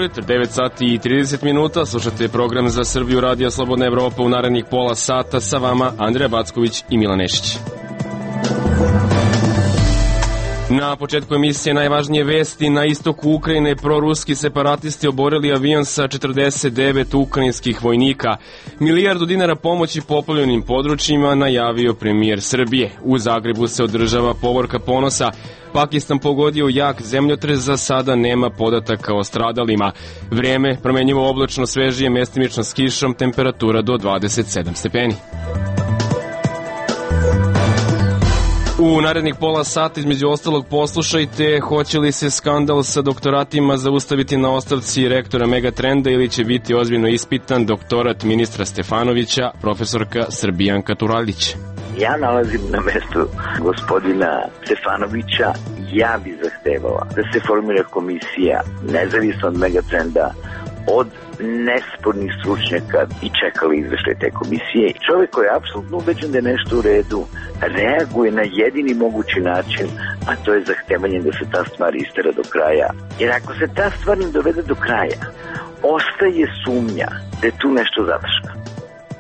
Dobro jutro, 9 sati i 30 minuta, slušate program za Srbiju Radija Slobodna Evropa u narednih pola sata, sa vama Andreja Backović i Milan Nešić. Na početku emisije najvažnije vesti. Na istoku Ukrajine proruski separatisti oborili avion sa 49 ukrajinskih vojnika. Milijardu dinara pomoći poplavljenim područjima najavio premijer Srbije. U Zagrebu se održava povorka ponosa. Pakistan pogodio jak zemljotres, za sada nema podataka o stradalima. Vreme promenjivo oblačno, svežije, mestimično s kišom, temperatura do 27 stepeni. U narednih pola sata između ostalog poslušajte hoće li se skandal sa doktoratima zaustaviti na ostavci rektora Megatrenda ili će biti ozbiljno ispitan doktorat ministra Stefanovića, profesorka Srbijanka Turaljić. Ja nalazim na mestu gospodina Stefanovića, ja bi zahtevala da se formira komisija nezavisno od Megatrenda, od nespornih stručnjaka i čekali izveštaj te komisije. Čovjek koji je apsolutno ubeđen da je nešto u redu, reaguje na jedini mogući način, a to je zahtevanje da se ta stvar istera do kraja. Jer ako se ta stvar ne dovede do kraja, ostaje sumnja da je tu nešto zadrška.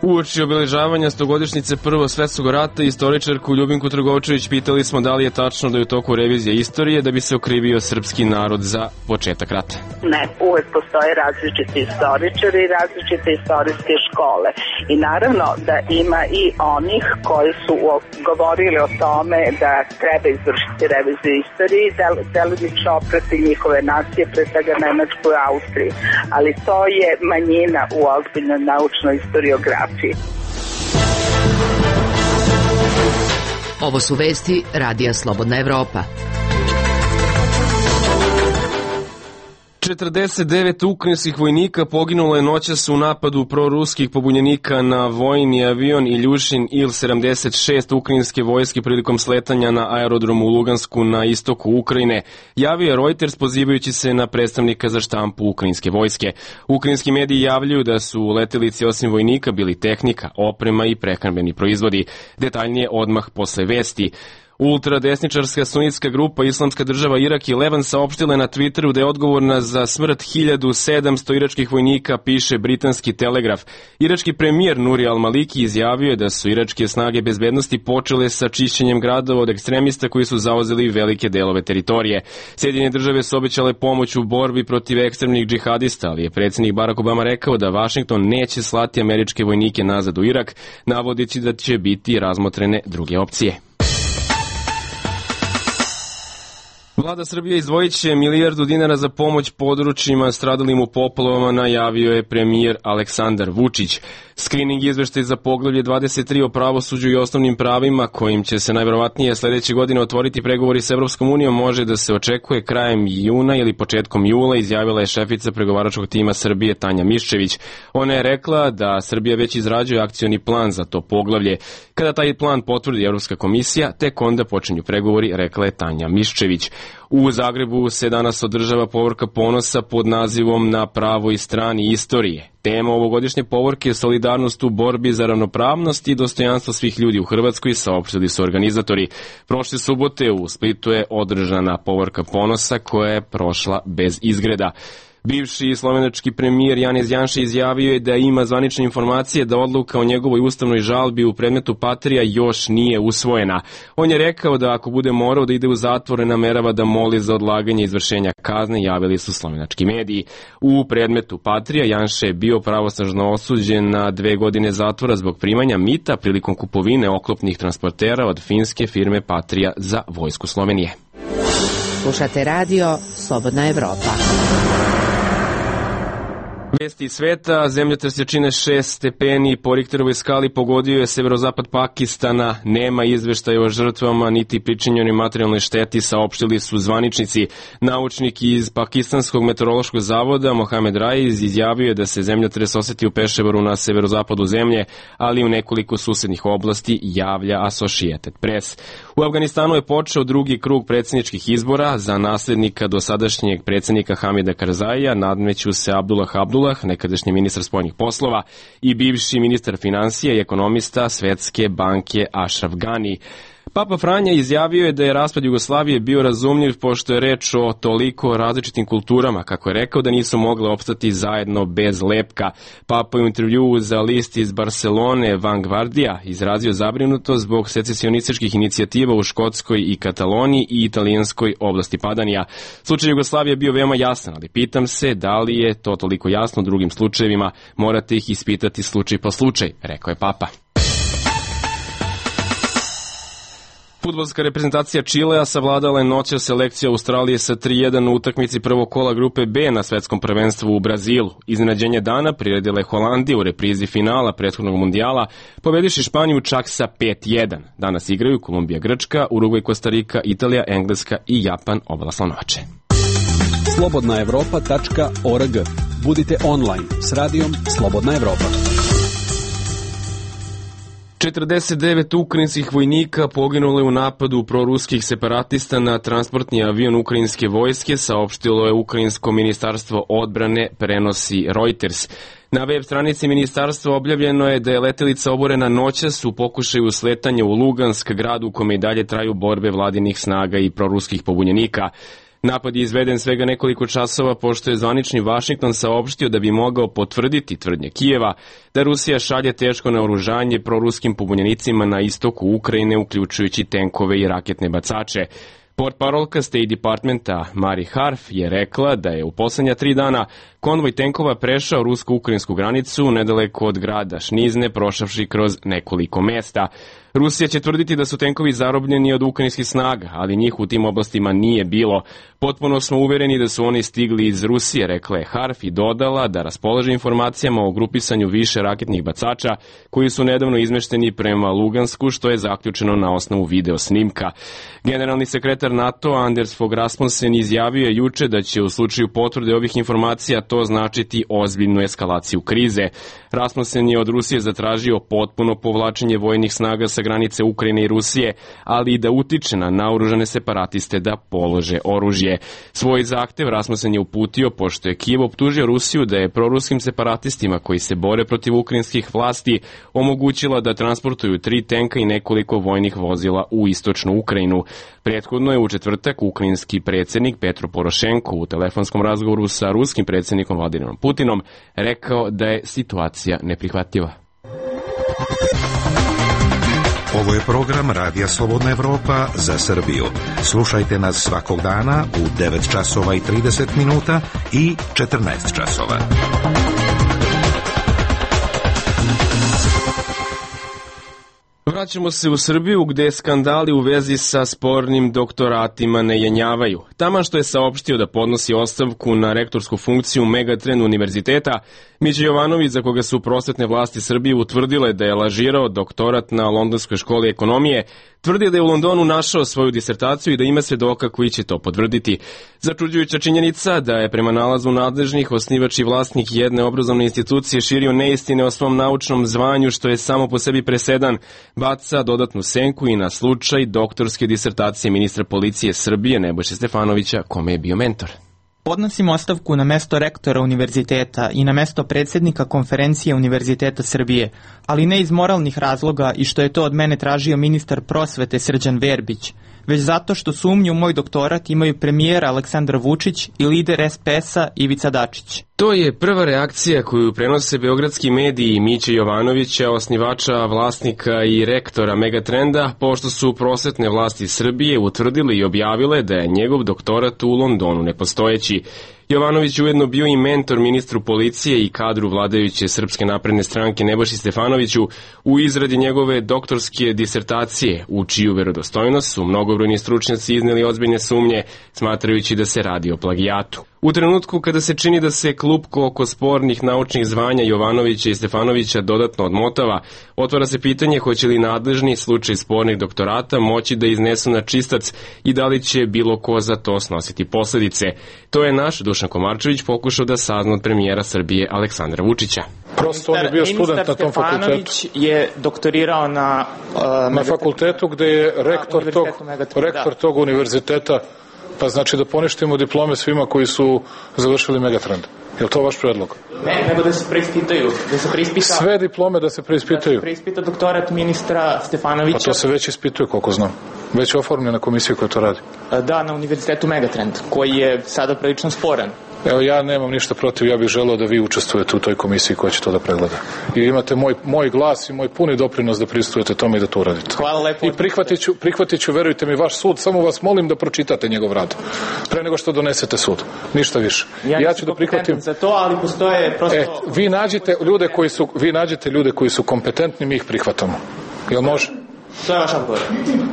Uoči obeležavanja 100-godišnjice Prvog svetskog rata, istoričarku Ljubinku Trgovčević pitali smo da li je tačno da je u toku revizije istorije da bi se okrivio srpski narod za početak rata. Ne, uvek postoje različiti istoričari i različite istorijske škole. I naravno da ima i onih koji su govorili o tome da treba izvršiti reviziju istorije i delimično oprati njihove nacije, pre svega Nemačku i Austriju. Ali to je manjina u ozbiljnoj naučnoj istoriografiji. Ovo su vesti Radija Slobodna Evropa. 49 ukrajinskih vojnika poginulo je noćas u napadu proruskih pobunjenika na vojni avion Iljušin Il-76 ukrajinske vojske prilikom sletanja na aerodromu u Lugansku na istoku Ukrajine, javio je Reuters pozivajući se na predstavnika za štampu ukrajinske vojske. Ukrajinski mediji javljaju da su u letelici osim vojnika bili tehnika, oprema i prehrambeni proizvodi. Detaljnije odmah posle vesti. Ultradesničarska sunitska grupa Islamska država Irak i Levan saopštila na Twitteru da je odgovorna za smrt 1700 iračkih vojnika, piše britanski Telegraf. Irački premijer Nuri al-Maliki izjavio je da su iračke snage bezbednosti počele sa čišćenjem gradova od ekstremista koji su zauzeli velike delove teritorije. Sjedinjene države su obećale pomoć u borbi protiv ekstremnih džihadista, ali je predsjednik Barack Obama rekao da Vašington neće slati američke vojnike nazad u Irak, navodeći da će biti razmotrene druge opcije. Vlada Srbije izdvojit će milijardu dinara za pomoć područjima stradalim u poplavama, najavio je premijer Aleksandar Vučić. Skrining izveštaj za poglavlje 23 o pravosuđu i osnovnim pravima, kojim će se najverovatnije sledeće godine otvoriti pregovori s Evropskom unijom, može da se očekuje krajem juna ili početkom jula, izjavila je šefica pregovaračkog tima Srbije Tanja Miščević. Ona je rekla da Srbija već izrađuje akcioni plan za to poglavlje. Kada taj plan potvrdi Evropska komisija, tek onda počinju pregovori, rekla je Tanja Miščević. U Zagrebu se danas održava povorka ponosa pod nazivom Na pravoj strani istorije. Tema ovogodišnje povorke je solidarnost u borbi za ravnopravnost i dostojanstvo svih ljudi u Hrvatskoj, saopštili su organizatori. Prošle subote u Splitu je održana povorka ponosa koja je prošla bez izgreda. Bivši slovenački premijer Janez Janša izjavio je da ima zvanične informacije da odluka o njegovoj ustavnoj žalbi u predmetu Patrija još nije usvojena. On je rekao da ako bude morao da ide u zatvor, namerava da moli za odlaganje izvršenja kazne, javili su slovenački mediji. U predmetu Patrija Janša je bio pravosnažno osuđen na 2 godine zatvora zbog primanja mita prilikom kupovine oklopnih transportera od finske firme Patrija za vojsku Slovenije. Slušate radio Slobodna Evropa. Vesti iz sveta, zemljotres jačine 6 stepeni po Richterovoj skali pogodio je severozapad Pakistana. Nema izveštaja o žrtvama niti pričinjenoj materijalnoj šteti, saopštili su zvaničnici. Naučnik iz Pakistanskog meteorološkog zavoda Mohamed Raiz izjavio je da se zemljotres oseti u Peševaru na severozapadu zemlje, ali u nekoliko susednih oblasti, javlja Associated Press. U Afganistanu je počeo drugi krug predsjedničkih izbora. Za naslednika dosadašnjeg predsjednika Hamida Karzaija nadmeću se Abdullah Abdullah, nekadašnji ministar spoljnih poslova, i bivši ministar finansija i ekonomista Svetske banke Ashraf Ghani. Papa Franja izjavio je da je raspad Jugoslavije bio razumljiv pošto je reč o toliko različitim kulturama, kako je rekao da nisu mogle opstati zajedno bez lepka. Papa je u intervjuu za list iz Barcelone Vanguardia izrazio zabrinutost zbog secesionističkih inicijativa u Škotskoj i Kataloniji i italijanskoj oblasti Padanija. Slučaj Jugoslavije je bio veoma jasan, ali pitam se da li je to toliko jasno u drugim slučajevima, morate ih ispitati slučaj po slučaj, rekao je Papa. Fudbalska reprezentacija Čilea savladala je noćas selekciju Australije sa 3:1 u utakmici prvog kola grupe B na svetskom prvenstvu u Brazilu. Iznenađenje dana priredila je Holandija u reprizi finala prethodnog mundijala, pobediši Španiju čak sa 5:1. Danas igraju Kolumbija, Grčka, Urugvaj, Kostarika, Italija, Engleska i Japan obala Slanovače. slobodnaevropa.org. Budite online s radijom Slobodna Evropa. 49 ukrajinskih vojnika poginulo je u napadu proruskih separatista na transportni avion ukrajinske vojske, saopštilo je Ukrajinsko ministarstvo odbrane, prenosi Reuters. Na web stranici ministarstva objavljeno je da je letelica oborena noćas u pokušaju sletanja u Lugansk, grad u kome i dalje traju borbe vladinih snaga i proruskih pobunjenika. Napad je izveden svega nekoliko časova pošto je zvanični Vašington saopštio da bi mogao potvrditi tvrdnje Kijeva da Rusija šalje teško naoružanje proruskim pobunjenicima na istoku Ukrajine, uključujući tenkove i raketne bacače. Portparolka State Departmenta Mari Harf je rekla da je u poslednja 3 dana konvoj tenkova prešao rusko-ukrajinsku granicu nedaleko od grada Šnizne, prošavši kroz nekoliko mesta. Rusija će tvrditi da su tenkovi zarobljeni od ukrajinskih snaga, ali njih u tim oblastima nije bilo. Potpuno smo uvereni da su oni stigli iz Rusije, rekla je Harf i dodala da raspolaže informacijama o grupisanju više raketnih bacača koji su nedavno izmešteni prema Lugansku, što je zaključeno na osnovu video snimka. Generalni sekretar NATO Anders Fogh Rasmussen izjavio je juče da će u slučaju potvrde ovih informacija to značiti ozbiljnu eskalaciju krize. Rasmussen je od Rusije zatražio potpuno povlačenje vojnih snaga sa granice Ukrajine i Rusije, ali i da utiče na naoružane separatiste da polože oružje. Svoj zahtev Rasmussen je uputio pošto je Kijev optužio Rusiju da je proruskim separatistima koji se bore protiv ukrajinskih vlasti omogućila da transportuju 3 tenka i nekoliko vojnih vozila u istočnu Ukrajinu. Prethodno je u četvrtak ukrajinski predsjednik Petro Porošenko u telefonskom razgovoru sa ruskim predsjednikom Vladimirom Putinom rekao da je situacija neprihvatljiva. Ovo je program Radija Slobodna Evropa za Srbiju. Slušajte nas svakog dana u 9 časova i 30 minuta i 14 časova. Vraćamo se u Srbiju gde skandali u vezi sa spornim doktoratima ne jenjavaju. Taman što je saopštio da podnosi ostavku na rektorsku funkciju Megatrend univerziteta, Mića Jovanović, za koga su prosvetne vlasti Srbije utvrdile da je lažirao doktorat na Londonskoj školi ekonomije, tvrdi da je u Londonu našao svoju disertaciju i da ima svedoka koji će to potvrditi. Začuđujuća činjenica da je prema nalazu nadležnih osnivač i vlasnik jedne obrazovne institucije širio neistine o svom naučnom zvanju, što je samo po sebi presedan, baca dodatnu senku i na slučaj doktorske disertacije ministra policije Srbije Nebojše Stefanovića, kome je bio mentor. Podnosim ostavku na mesto rektora univerziteta i na mesto predsjednika konferencije Univerziteta Srbije, ali ne iz moralnih razloga i što je to od mene tražio ministar prosvete Srđan Verbić, već zato što sumnju u moj doktorat imaju premijer Aleksandar Vučić i lider SPS-a Ivica Dačić. To je prva reakcija koju prenose beogradski mediji Miće Jovanovića, osnivača, vlasnika i rektora Megatrenda, pošto su prosvetne vlasti Srbije utvrdile i objavile da je njegov doktorat u Londonu nepostojeći. Jovanović ujedno bio i mentor ministru policije i kadru vladajuće Srpske napredne stranke Nebojši Stefanoviću u izradi njegove doktorske disertacije, u čiju verodostojnost su mnogobrojni stručnjaci izneli ozbiljne sumnje, smatrajući da se radi o plagijatu. U trenutku kada se čini da se klupko oko spornih naučnih zvanja Jovanovića i Stefanovića dodatno odmotava, otvara se pitanje hoće li nadležni slučaj spornih doktorata moći da iznesu na čistac i da li će bilo ko za to snositi posledice. To je naš Dušan Komarčević pokušao da sazna od premijera Srbije Aleksandra Vučića. Prosto on je bio student na tom fakultetu. Stefanović je doktorirao na fakultetu gde je rektor tog univerziteta. Pa znači da poništimo diplome svima koji su završili Megatrend. Je li to vaš predlog? Ne, nego da se preispitaju. Da se preispita... Sve diplome da se preispitaju? Da se preispita doktorat ministra Stefanovića. Pa to se već ispituje, koliko znam. Već je oformljena komisija koja to radi. Da, na univerzitetu Megatrend, koji je sada prilično sporan. Evo, ja nemam ništa protiv, ja bih želeo da vi učestvujete u toj komisiji koja će to da pregleda. I imate moj glas i moj puni doprinos da pristujete tome i da to uradite. Hvala lepo. I prihvatit ću, verujte mi, vaš sud, samo vas molim da pročitate njegov rad. Pre nego što donesete sud. Ništa više. Ja ću da prihvatim za to, ali postoje prosto... Vi nađete ljude koji su kompetentni, mi ih prihvatamo. Jel može? To je vaš odgovor.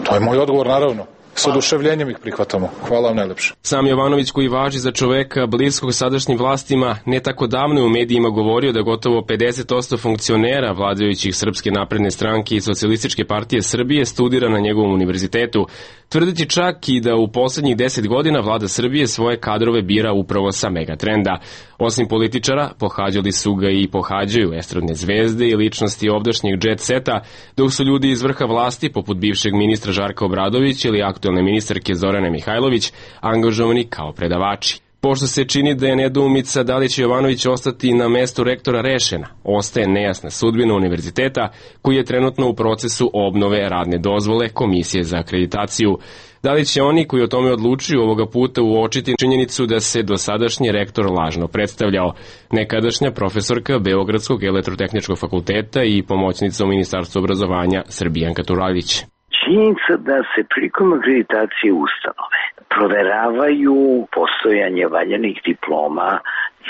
To je moj odgovor, naravno. S oduševljenjem ih prihvatamo. Hvala vam najlepše. Sam Jovanović, koji važi za čoveka bliskog sadašnjim vlastima, ne tako davno je u medijima govorio da gotovo 50% funkcionera vladajućih Srpske napredne stranke i Socijalističke partije Srbije studira na njegovom univerzitetu, tvrdeći čak i da u poslednjih 10 godina vlada Srbije svoje kadrove bira upravo sa Megatrenda. Osim političara, pohađali su ga i pohađaju estradne zvezde i ličnosti ovdašnjeg jet seta, dok su ljudi iz vrha vlasti, poput bivšeg ministra Žarka Obradovića ili aktuelne ministarke Zorane Mihajlović, angažovani kao predavači. Pošto se čini da je nedoumica da li će Jovanović ostati na mestu rektora rešena, ostaje nejasna sudbina univerziteta koji je trenutno u procesu obnove radne dozvole Komisije za akreditaciju. Da li će oni koji o tome odlučuju ovoga puta uočiti činjenicu da se dosadašnji rektor lažno predstavljao? Nekadašnja profesorka Beogradskog elektrotehničkog fakulteta i pomoćnica u Ministarstvu obrazovanja Srbijanka Turajlić. Činjenica da se prilikom akreditacije ustanove proveravaju postojanje valjanih diploma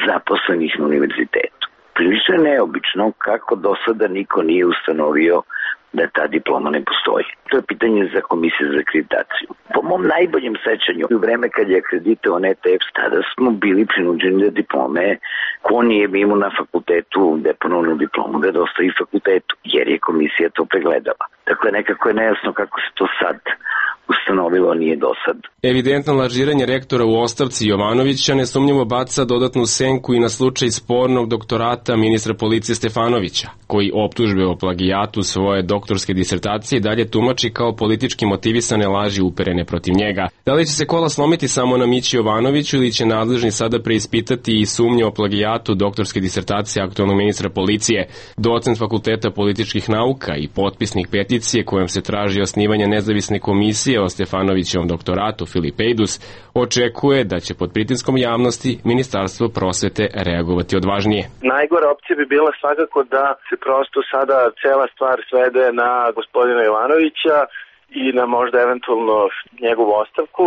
zaposlenih na univerzitetu. Prilično je neobično kako do sada niko nije ustanovio da ta diploma ne postoji. To je pitanje za Komisiju za akreditaciju. Po mom najboljem sećanju, u vreme kad je akreditovan ETF, tada smo bili prinuđeni da diplome, ko nije imao na fakultetu deponovnu diplomu, da dostavi fakultetu, jer je komisija to pregledala. Dakle, nekako je nejasno kako se to sad ustanovilo, nije do sad. Evidentno lažiranje rektora u ostavci Jovanovića nesumnjivo baca dodatnu senku i na slučaj spornog doktorata ministra policije Stefanovića, koji optužbe o plagijatu svoje doktorske disertacije dalje tumači kao politički motivisane laži uperene protiv njega. Da li će se kola slomiti samo na Mići Jovanoviću ili će nadležni sada preispitati i sumnje o plagijatu doktorske disertacije aktuelnog ministra policije? Docent Fakulteta političkih nauka i potpisnik peticije kojom se traži osnivanje nezavisne komisije o Stefanovićevom doktoratu Filip Ejdus očekuje da će pod pritiskom javnosti Ministarstvo prosvete reagovati odvažnije. Najgora opcija bi bila svakako da se prosto sada cela stvar svede na gospodina Jovanovića i na možda eventualno njegovu ostavku.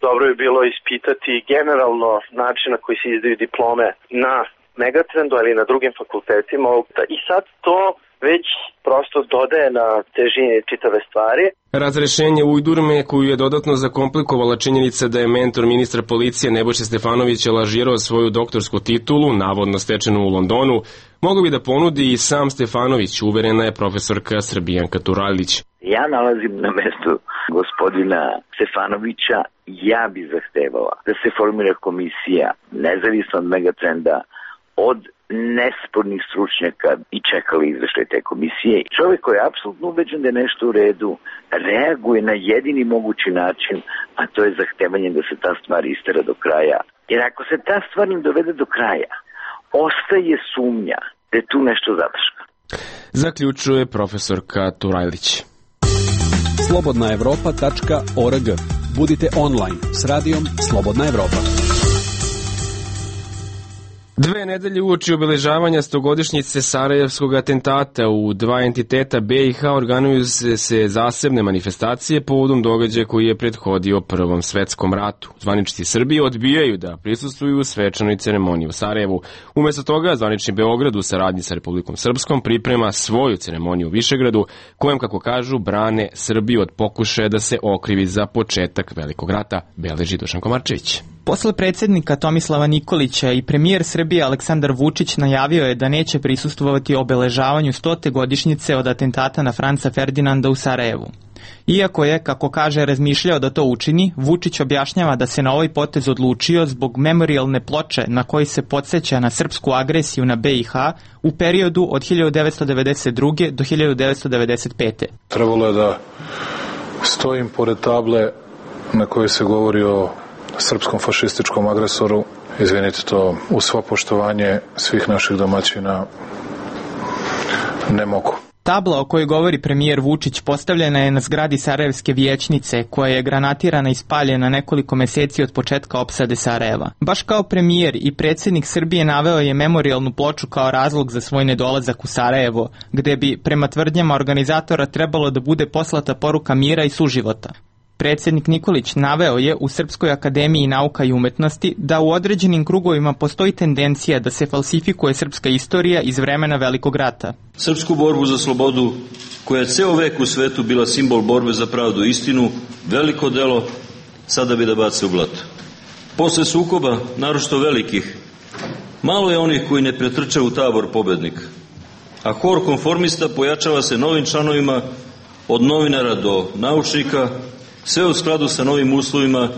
Dobro bi bilo ispitati generalno način na koji se izdaju diplome na Megatrendu, ali i na drugim fakultetima. I sad to već prosto dodaje na težini čitave stvari. Razrešenje ujdurme koju je dodatno zakomplikovala činjenica da je mentor ministra policije Nebojša Stefanovića lažirao svoju doktorsku titulu, navodno stečenu u Londonu, mogu bi da ponudi i sam Stefanović, uverena je profesorka Srbijanka Turajlić. Ja nalazim na mestu gospodina Stefanovića, ja bi zahtevala da se formira komisija nezavisno od Megatrenda, od nespornih stručnjaka i čekali izveštaj te komisije. Čovjek koji je apsolutno ubeđen da je nešto u redu, reaguje na jedini mogući način, a to je zahtevanje da se ta stvar istera do kraja. Jer ako se ta stvar ne dovede do kraja, ostaje sumnja da je tu nešto zadrška. Zaključuje profesorka Turajlić. slobodnaevropa.org. Budite online s radijom Slobodna Evropa. 2 nedelje uoči obeležavanja 100-godišnjice Sarajevskog atentata u 2 entiteta BiH organizuju se zasebne manifestacije povodom događaja koji je prethodio Prvom svetskom ratu. Zvaničnici Srbije odbijaju da prisustvuju u svečanoj ceremoniji u Sarajevu. Umesto toga, zvanični Beograd u saradnji sa Republikom Srpskom priprema svoju ceremoniju u Višegradu, kojem, kako kažu, brane Srbiju od pokušaja da se okrivi za početak Velikog rata, beleži Dušan Komarčević. Posle predsjednika Tomislava Nikolića i premijer Srbije Aleksandar Vučić najavio je da neće prisustvovati obeležavanju 100. godišnjice od atentata na Franca Ferdinanda u Sarajevu. Iako je, kako kaže, razmišljao da to učini, Vučić objašnjava da se na ovaj potez odlučio zbog memorijalne ploče na koji se podsjeća na srpsku agresiju na BiH u periodu od 1992. do 1995. Trebalo je da stojim pored table na kojoj se govori o srpskom fašističkom agresoru izvinite, to uz svo poštovanje svih naših domaćina ne mogu. Tabla o kojoj govori premijer Vučić postavljena je na zgradi Sarajevske vijećnice, koja je granatirana i spaljena nekoliko meseci od početka opsade Sarajeva. Baš kao premijer i predsjednik Srbije naveo je memorijalnu ploču kao razlog za svoj nedolazak u Sarajevo, gde bi, prema tvrdnjama organizatora, trebalo da bude poslata poruka mira i suživota. Predsjednik Nikolić naveo je u Srpskoj akademiji nauka i umetnosti da u određenim krugovima postoji tendencija da se falsifikuje srpska istorija iz vremena Velikog rata. Srpsku borbu za slobodu, koja je ceo vek u svetu bila simbol borbe za pravdu i istinu, veliko delo, sada bi da bace u blato. Posle sukoba, naročito velikih, malo je onih koji ne pretrče u tabor pobednika, a hor konformista pojačava se novim članovima, od novinara do naučnika, sve u skladu sa novim uslovima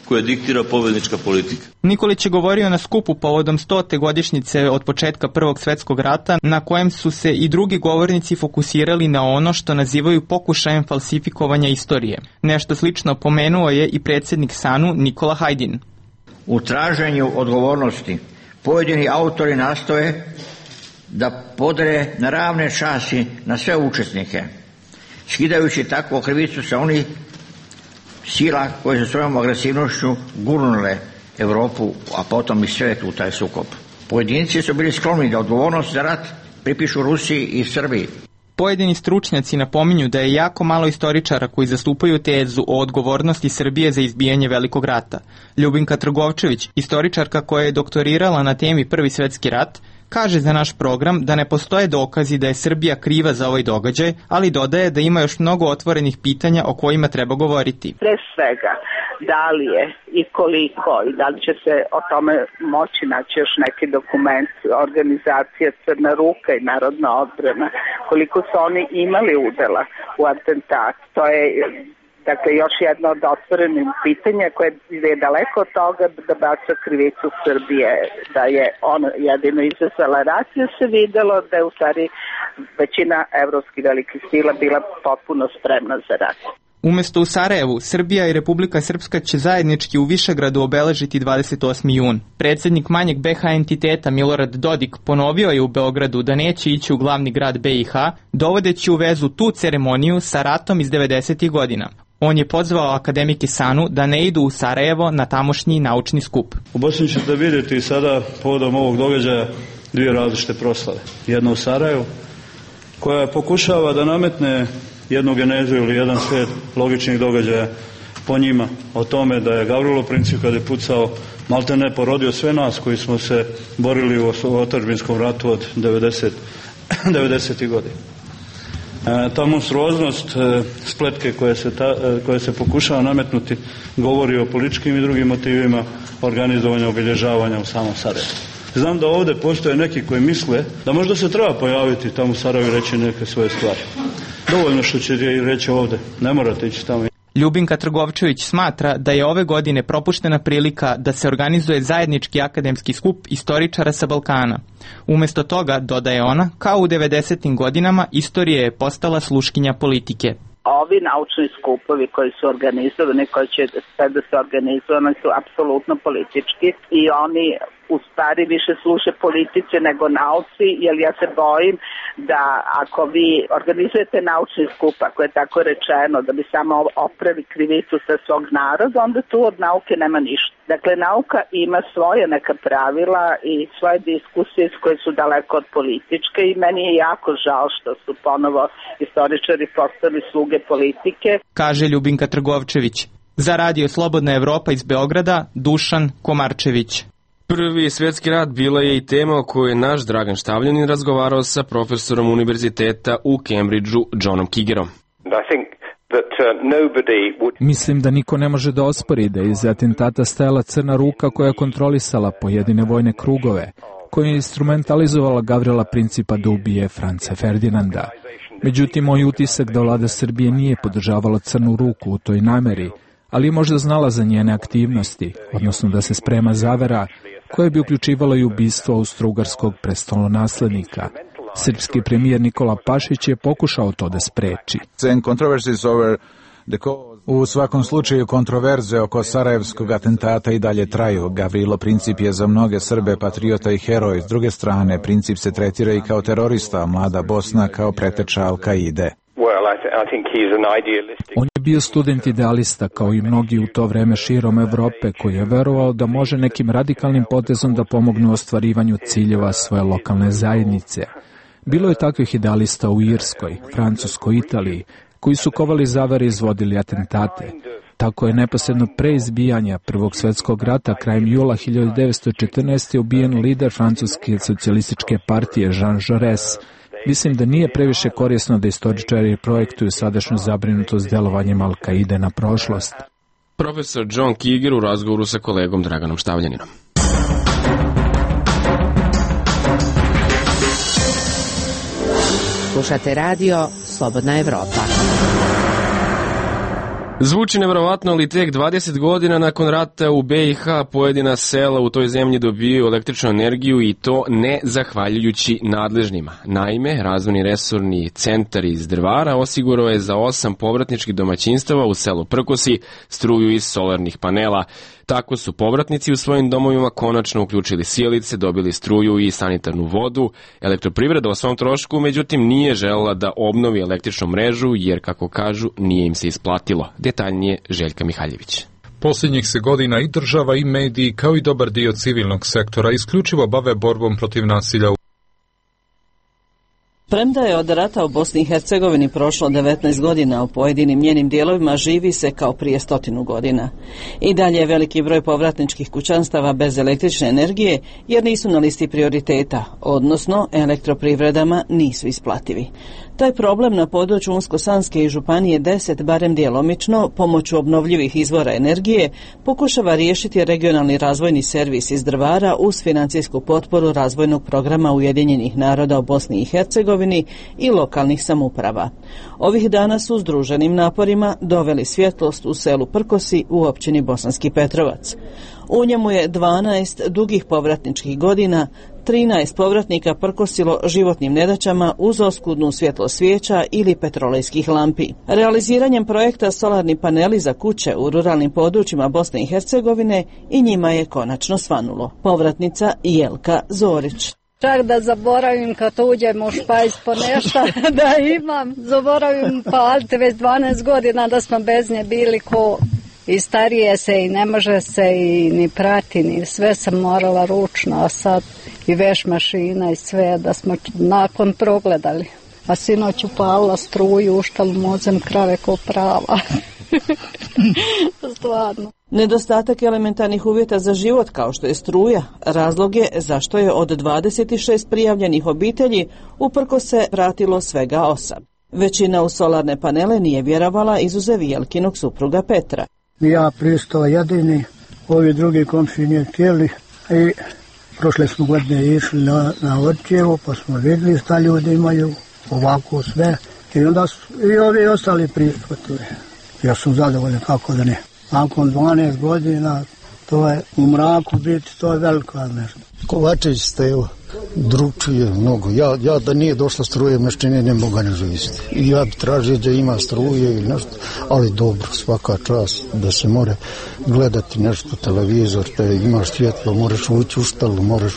koje diktira pobednička politika. Nikolić je govorio na skupu povodom 100. godišnjice od početka Prvog svjetskog rata, na kojem su se i drugi govornici fokusirali na ono što nazivaju pokušajem falsifikovanja istorije. Nešto slično pomenuo je i predsjednik SANU Nikola Hajdin. U traženju odgovornosti pojedini autori nastoje da podre na ravne časi na sve učesnike, skidajući tako krivicu sa onih sila koje su svojom agresivnošću gurnule Evropu, a potom i svijet u taj sukob. Pojedinci su bili skloni da odgovornost za rat pripišu Rusiji i Srbiji. Pojedini stručnjaci napominju da je jako malo istoričara koji zastupaju tezu o odgovornosti Srbije za izbijanje Velikog rata. Ljubinka Trgovčević, istoričarka koja je doktorirala na temi Prvi svjetski rat, kaže za naš program da ne postoje dokazi da je Srbija kriva za ovaj događaj, ali dodaje da ima još mnogo otvorenih pitanja o kojima treba govoriti. Pre svega, da li je i koliko i da li će se o tome moći naći još neki dokument organizacije Crna ruka i Narodna odbrana, koliko su oni imali udela u atentatu. To je dakle još jedno od otvorenih pitanja koje je daleko od toga da baca krivicu Srbije, da je on jedino izazvala rat, jer se videlo da je u stvari većina evropskih velikih sila bila potpuno spremna za rat. Umesto u Sarajevu, Srbija i Republika Srpska će zajednički u Višegradu obeležiti 28. jun. Predsjednik manjeg BiH entiteta Milorad Dodik ponovio je u Beogradu da neće ići u glavni grad BiH, dovodeći u vezu tu ceremoniju sa ratom iz 90. godina. On je pozvao akademike SANU da ne idu u Sarajevo na tamošnji naučni skup. U Bosni ćete vidjeti sada povodom ovog događaja dvije različite proslave. Jedna u Sarajevu, koja pokušava da nametne jednu genezu ili jedan slijed logičnih događaja po njima, o tome da je Gavrilo Princip kad je pucao maltene porodio sve nas koji smo se borili u otadžbinskom ratu od 90. godina. Ta monstruoznost spletke koje se pokušava nametnuti govori o političkim i drugim motivima organizovanja obilježavanja u samom Sarajevu. Znam da ovdje postoje neki koji misle da možda se treba pojaviti tamo u Sarajevu i reći neke svoje stvari. Dovoljno što će reći ovdje, ne morate ići tamo. Ljubinka Trgovčević smatra da je ove godine propuštena prilika da se organizuje zajednički akademski skup istoričara sa Balkana. Umjesto toga, dodaje ona, kao u 90. godinama, istorija je postala sluškinja politike. Ovi naučni skupovi koji su organizovani, koji će sve da se organizovani, su apsolutno politički i oni u stvari više služe politici nego nauci, jer ja se bojim da ako vi organizujete naučni skup, ako je tako rečeno, da bi samo opravi krivicu sa svog naroda, onda tu od nauke nema ništa. Dakle, nauka ima svoje neka pravila i svoje diskusije koje su daleko od političke i meni je jako žao što su ponovo istoričari postali sluge politike. Kaže Ljubinka Trgovčević. Za Radio Slobodna Evropa iz Beograda, Dušan Komarčević. Prvi svjetski rat bila je i tema o kojoj je naš Dragan Štavljanin razgovarao sa profesorom univerziteta u Cambridgeu, Johnom Kigerom. Mislim da niko ne može da ospori da je iz atentata stajala crna ruka koja je kontrolisala pojedine vojne krugove, koja je instrumentalizovala Gavrila Principa da ubije Franca Ferdinanda. Međutim, moj utisak da vlada Srbije nije podržavala crnu ruku u toj nameri, ali je možda znala za njene aktivnosti, odnosno da se sprema zavera koje bi uključivalo i ubistvo austrougarskog prestolonaslednika. Srpski premijer Nikola Pašić je pokušao to da spreči. U svakom slučaju kontroverze oko sarajevskog atentata i dalje traju. Gavrilo Princip je za mnoge Srbe patriota i heroj. S druge strane, Princip se tretira i kao terorista, a mlada Bosna kao preteča Al-Kaide. On je bio student idealista, kao i mnogi u to vreme širom Evrope, koji je verovao da može nekim radikalnim potezom da pomogne u ostvarivanju ciljeva svoje lokalne zajednice. Bilo je takvih idealista u Irskoj, Francuskoj, Italiji, koji su kovali zavere i izvodili atentate. Tako je neposredno pre izbijanja Prvog svjetskog rata krajem jula 1914. ubijen lider Francuske socijalističke partije Jean Jaurès. Mislim da nije previše korisno da istoričari projektuju sadašnju zabrinutost delovanjem Al-Kaide na prošlost. Profesor John Kiger u razgovoru sa kolegom Draganom Štavljaninom. Slušate radio Slobodna Evropa. Zvuči nevjerovatno, ali tek 20 godina nakon rata u BiH pojedina sela u toj zemlji dobijaju električnu energiju i to ne zahvaljujući nadležnima. Naime, razvojni resorni centar iz Drvara osigurao je za 8 povratničkih domaćinstava u selu Prkosi struju iz solarnih panela. Tako su povratnici u svojim domovima konačno uključili sjelice, dobili struju i sanitarnu vodu. Elektroprivreda o svom trošku, međutim, nije želela da obnovi električnu mrežu, jer, kako kažu, nije im se isplatilo. Detaljnije Željka Mihaljević. Posljednjih se godina i država i mediji, kao i dobar dio civilnog sektora, isključivo bave borbom protiv nasilja. Premda je od rata u Bosni i Hercegovini prošlo 19 godina, u pojedinim njenim dijelovima živi se kao prije 100 godina. I dalje je veliki broj povratničkih kućanstava bez električne energije jer nisu na listi prioriteta, odnosno elektroprivredama nisu isplativi. Taj problem na području Unsko-Sanske i Županije 10, barem djelomično, pomoću obnovljivih izvora energije, pokušava riješiti regionalni razvojni servis iz Drvara uz financijsku potporu razvojnog programa Ujedinjenih naroda u Bosni i Hercegovini i lokalnih samouprava. Ovih dana su združenim naporima doveli svjetlost u selu Prkosi u općini Bosanski Petrovac. U njemu je 12 dugih povratničkih godina, 13 povratnika prkosilo životnim nedaćama uz oskudnu svjetlo svijeća ili petrolejskih lampi. Realiziranjem projekta solarni paneli za kuće u ruralnim područjima Bosne i Hercegovine i njima je konačno svanulo. Povratnica Jelka Zorić. Čak da zaboravim kad uđem u špajz po nešto da imam, zaboravim paliti već 12 godina da smo bez nje bili ko i starije se i ne može se i ni prati, ni sve sam morala ručno, a sad i veš mašina i sve da smo nakon progledali. A sinoć upalila struju, uštala mozem krave ko prava. Stvarno. Nedostatak elementarnih uvjeta za život kao što je struja razlog je zašto je od 26 prijavljenih obitelji uprkos se vratilo svega 8. Većina u solarne panele nije vjerovala izuzev Jelkinog supruga Petra. Ja pristao jedini, ovi drugi komši nije htjeli i prošle smo godine išli na Orčevo pa smo vidjeli šta ljudi imaju ovako sve i onda su i ovi ostali prihvatili. Ja sam zadovoljan, kako da ne. Nakon 12 godina, to je u mraku biti, to je veliko nešto. Kovačević Stevo, drugčije mnogo. Ja da nije došla struje meščine ne mogu ne živjeti. I ja bi tražio da ima struje ili nešto, ali dobro, svaka čast da se more gledati nešto, televizor, da imaš svjetlo, moraš ući u štalu, moraš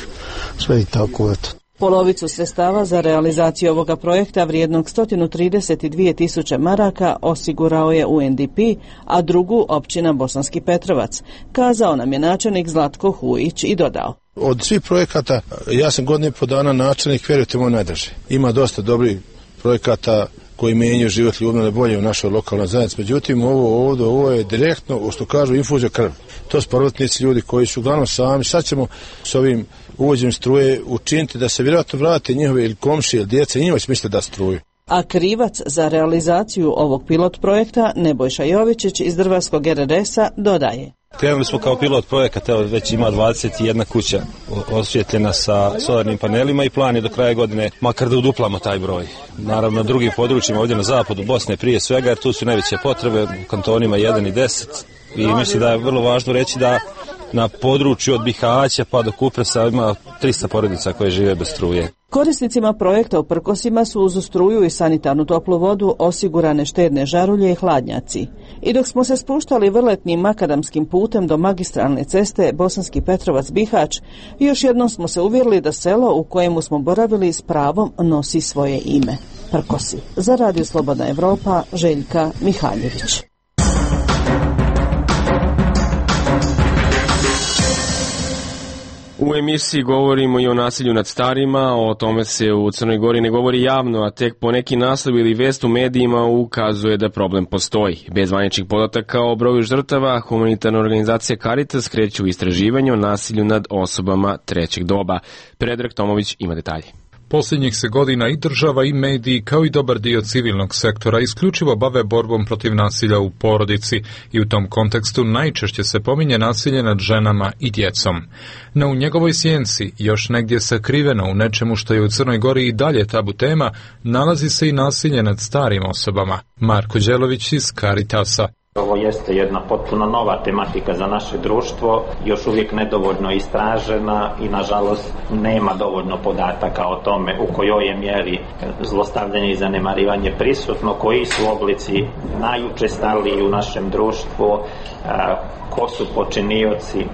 sve i tako, eto. Polovicu sredstava za realizaciju ovoga projekta vrijednog 132.000 maraka osigurao je UNDP, a drugu općina Bosanski Petrovac, kazao nam je načelnik Zlatko Hujić i dodao. Od svih projekata, ja sam godinu i po dana načelnik, vjerujte moj najdraži. Ima dosta dobrih projekata koji menjaju život ljudima bolje u našoj lokalnoj zajednici. Međutim, ovo je direktno, što kažu, infuzija krvi. To su povratnici ljudi koji su uglavnom sami. Sad ćemo s ovim uvođenjem struje učiniti da se vjerojatno vrate njihove ili komšije ili djece i njima će misliti da struju. A krivac za realizaciju ovog pilot projekta Nebojša Jovičić iz Drvarskog RRS-a dodaje. Krenuli smo kao pilot projekat, evo već ima 21 kuća osvjetljena sa solarnim panelima i plan je do kraja godine makar da uduplamo taj broj. Naravno na drugim područjima ovdje na zapadu Bosne prije svega, jer tu su najveće potrebe u kantonima 1 i 10 i mislim da je vrlo važno reći da na području od Bihaća pa do Kupresa ima 300 porodica koje žive bez struje. Korisnicima projekta u Prkosima su uz struju i sanitarnu toplu vodu osigurane štedne žarulje i hladnjaci. I dok smo se spuštali vrletnim makadamskim putem do magistralne ceste Bosanski Petrovac-Bihać, još jednom smo se uvjerili da selo u kojemu smo boravili s pravom nosi svoje ime. Prkosi. Za Radio Slobodna Evropa, Željka Mihaljević. U emisiji govorimo i o nasilju nad starima, o tome se u Crnoj Gori ne govori javno, a tek po neki naslov ili vest u medijima ukazuje da problem postoji. Bez zvaničnih podataka o broju žrtava, humanitarna organizacija Caritas kreće u istraživanje o nasilju nad osobama trećeg doba. Predrag Tomović ima detalje. Posljednjih se godina i država i mediji, kao i dobar dio civilnog sektora, isključivo bave borbom protiv nasilja u porodici i u tom kontekstu najčešće se pominje nasilje nad ženama i djecom. No u njegovoj sjenci, još negdje sakriveno u nečemu što je u Crnoj Gori i dalje tabu tema, nalazi se i nasilje nad starim osobama. Marko Đelović iz Caritasa. Ovo jeste jedna potpuno nova tematika za naše društvo, još uvijek nedovoljno istražena i nažalost nema dovoljno podataka o tome u kojoj je mjeri zlostavljanje i zanemarivanje prisutno, koji su oblici najučestaliji u našem društvu, ko su počinioci.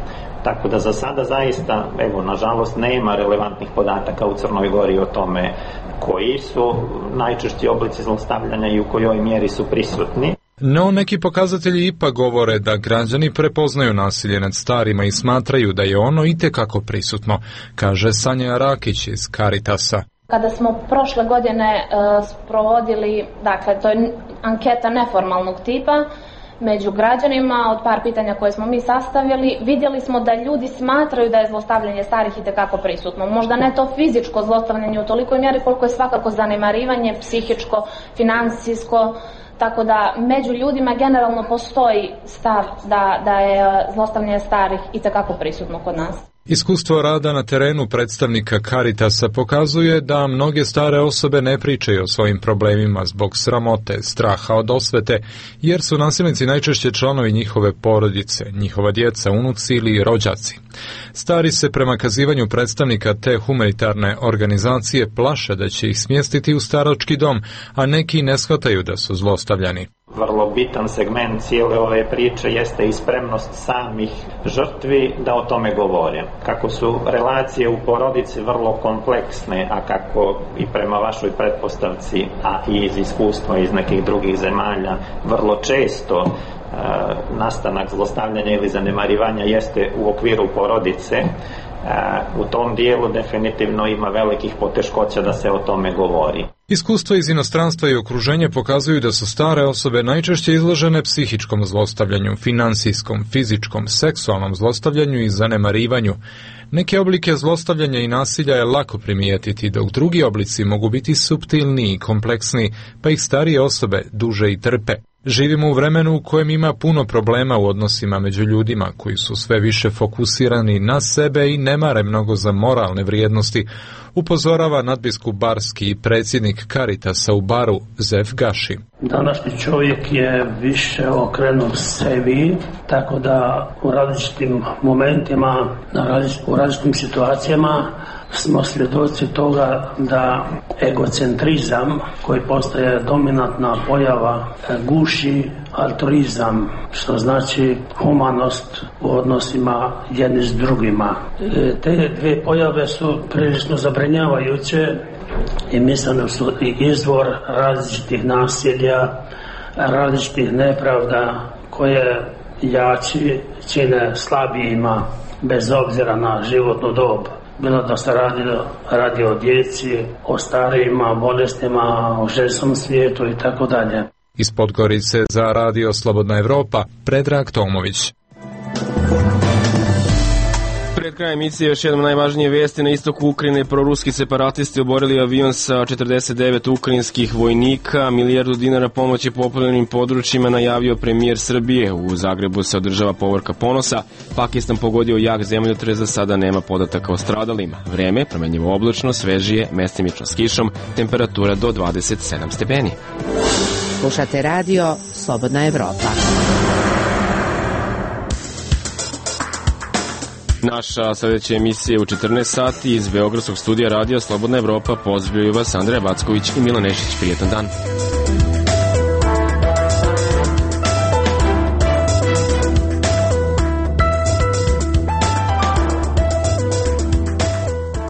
Tako da za sada zaista, nažalost, nema relevantnih podataka u Crnoj Gori o tome koji su najčešći oblici zlostavljanja i u kojoj mjeri su prisutni. No, neki pokazatelji ipak govore da građani prepoznaju nasilje nad starima i smatraju da je ono itekako prisutno, kaže Sanja Rakić iz Caritasa. Kada smo prošle godine sprovodili, dakle, to je anketa neformalnog tipa, među građanima, od par pitanja koje smo mi sastavili, vidjeli smo da ljudi smatraju da je zlostavljanje starih itekako prisutno. Možda ne to fizičko zlostavljanje u tolikoj mjeri koliko je svakako zanemarivanje, psihičko, financijsko, tako da među ljudima generalno postoji stav da je zlostavljanje starih itekako prisutno kod nas. Iskustvo rada na terenu predstavnika Caritasa pokazuje da mnoge stare osobe ne pričaju o svojim problemima zbog sramote, straha od osvete, jer su nasilnici najčešće članovi njihove porodice, njihova djeca, unuci ili rođaci. Stari se prema kazivanju predstavnika te humanitarne organizacije plaše da će ih smjestiti u starački dom, a neki ne shvataju da su zlostavljani. Vrlo bitan segment cijele ove priče jeste i spremnost samih žrtvi da o tome govore. Kako su relacije u porodici vrlo kompleksne, a kako i prema vašoj pretpostavci, a i iz iskustva iz nekih drugih zemalja, vrlo često nastanak zlostavljanja ili zanemarivanja jeste u okviru porodice, u tom dijelu definitivno ima velikih poteškoća da se o tome govori. Iskustva iz inostranstva i okruženja pokazuju da su stare osobe najčešće izložene psihičkom zlostavljanju, finansijskom, fizičkom, seksualnom zlostavljanju i zanemarivanju. Neke oblike zlostavljanja i nasilja je lako primijetiti, dok drugi oblici mogu biti suptilniji i kompleksniji, pa ih starije osobe duže i trpe. Živimo u vremenu u kojem ima puno problema u odnosima među ljudima koji su sve više fokusirani na sebe i ne mare mnogo za moralne vrijednosti, upozorava nadbiskup Barski i predsjednik Caritasa u Baru Zef Gaši. Današnji čovjek je više okrenut sebi, tako da u različitim momentima, u različitim situacijama smo svjedoci toga da egocentrizam, koji postaje dominantna pojava, guši altruizam, što znači humanost u odnosima jedni s drugima. Te dvije pojave su prilično zabrinjavajuće i mislim da su i izvor različitih nasilja, različitih nepravda koje jači čine slabijima bez obzira na životnu dob. Bilo da se radi o djeci, o starijima, bolestima, o ženskom svijetu i tako dalje. Iz Podgorice za Radio Slobodna Evropa, Predrag Tomović. Pred krajem emisije još jednom najvažnije vesti. Na istoku Ukrajine proruski separatisti oborili avion sa 49 ukrajinskih vojnika. $1 milijardu pomoći poplavljenim područjima najavio premijer Srbije. U Zagrebu se održava povorka ponosa. Pakistan pogodio jak zemljotres, za sada nema podataka o stradalima. Vreme promenjivo oblačno, svežije, mestimično s kišom, temperatura do 27 stepeni. Slušate radio Slobodna Evropa. Naša sledeća emisija je u 14 sati iz Beogradskog studija radija Slobodna Evropa. Pozdravljaju vas Andreja Backović i Milan Nešić. Prijetan dan.